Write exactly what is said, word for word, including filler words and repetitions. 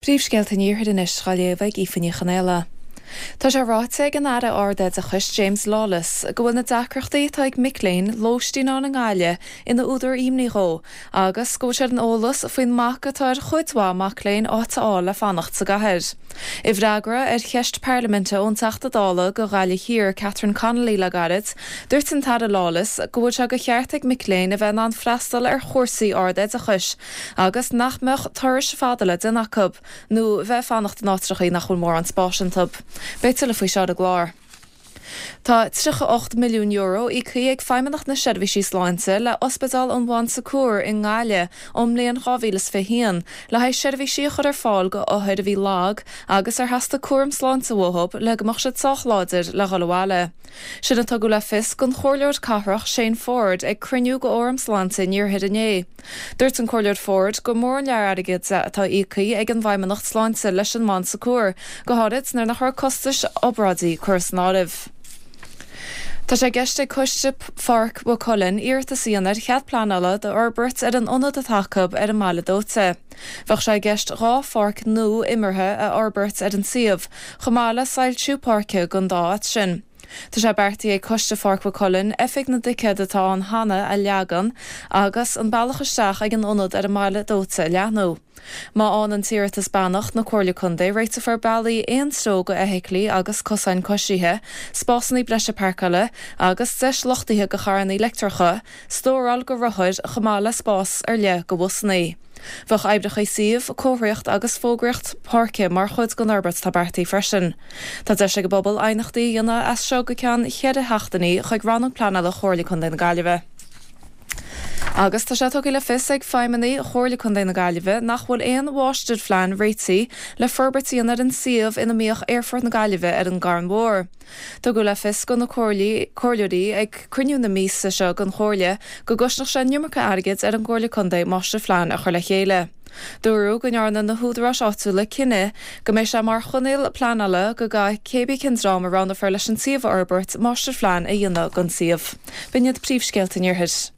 Príomhscéalta an Iarthair anois á léamh ag Aoife Ní Chonaola. Tá sé ráite ag an Aire Ardoideachais James Lawless go bhfuil na deacrachtaí atá ag mic léinn lóistín a fháil i nGaillimh ina údar imní dhó agus go bhfuil sé ar an eolas faoin mbac atá ar chuid mhaith mac léinn áit a fháil le fanacht sa gcathair. I bhfreagra ar cheist parlaiminte ón Teachta Dála do Ghaillimh Thiar Catherine Connolly le gairid, dúirt an tAire Lawless go bhfuil sé de cheart ag mic léinn a bheith in ann freastal ar chúrsaí ardoideachais agus nach mbeadh turais fada le déanamh acu nó bheith fanacht in áiteacha nach bhfuil mórán spáis iontu. Beidh tuilleadh faoi seo ar an gclár. Tá tríocha ocht milliún euro íoctha ag Feidhmeannacht na Seirbhísí Sláinte le Ospidéal an Bhonn Secours i nGaillimh ón mbliain dhá mhíle is fiche haon le haghaidh seirbhísí a chur ar fáil go othair a bhí lag agus ar theastaigh cúram sláinte uathu le go mbeadh siad sách láidir le dhul abhaile. Sin a tugadh le fios don Chomhairleoir Cathrach Shane Forde ag cruinniú de Fhóram Sláinte an Iarthair inné. Dúirt an Comhairleoir Forde gur mór an lear airgid atá íoctha ag an bhFeidhmeannacht Sláinte leis an mBon Secours, go háirid nuair nach raibh costais obráidí curtha san áireamh. Tá sé i gceist ag Coiste Pháirc Mhaigh Cuilinn iarratas a dhéanamh ar chead pleanála d'fhorbairt ar an ionad atá acu ar an mBaile Dóite. Bheadh sé i gceist dhá pháirc nua imeartha a fhorbairt ar an suíomh, chomh maith le soilsiú páirce don dá áit sin. Tá sé beartaithe ag Coiste Pháirc Mhaigh Cuilinn oifig na dticéad atá ann cheana a leagan agus an bealach isteach ag an ionad ar an mBaile Dóite a leathnú. Má fhaigheann an t-iarratas beannacht na Comhairle Contae réiteofar bealaí aon treo go fheithiclí agus cosáin coisithe, spásanna breise páirceála agus deis luchtaithe go charranna leictreacha, stóráil go rothair chomh maith le spás ar leith go bhusanna. Bheadh oibreacha suímh, comharthaíocht agus fógraíocht páirce mar chuid den fhorbairt atá beartaithe freisin. Tá deis ag an bpobal aighneachtaí a dhéanamh as seo go ceann cheithre sheachtainí chuig Rannóg Pleanála Chomhairle Contae na Gaillimhe. Agus tá sé tugtha le fios ag feidhmeannaigh Chomhairle Contae na Gaillimhe nach bhfuil aon mháistirphlean réitithe le forbairt a dhéanamh ar an suíomh ina mbíodh Aerfort na Gaillimhe ar an gCarn Mhór. Tugadh le fios do na comhairleoirí ag cruinniú na míosa seo den Chomhairle go gcosnódh sé an iomarca airgid ar an gComhairle Contae máistirphlean a chur le chéile. Dúradh go ndearna na húdaráis áitiúla cinneadh go mbeidh sé mar choinníoll pleanála go gcaithfidh cébí cén dream a roghnófar leis an suíomh a fhorbairt máistirphlean a dhéanamh don suíomh. B'in iad príomhscéalta an Iarthair.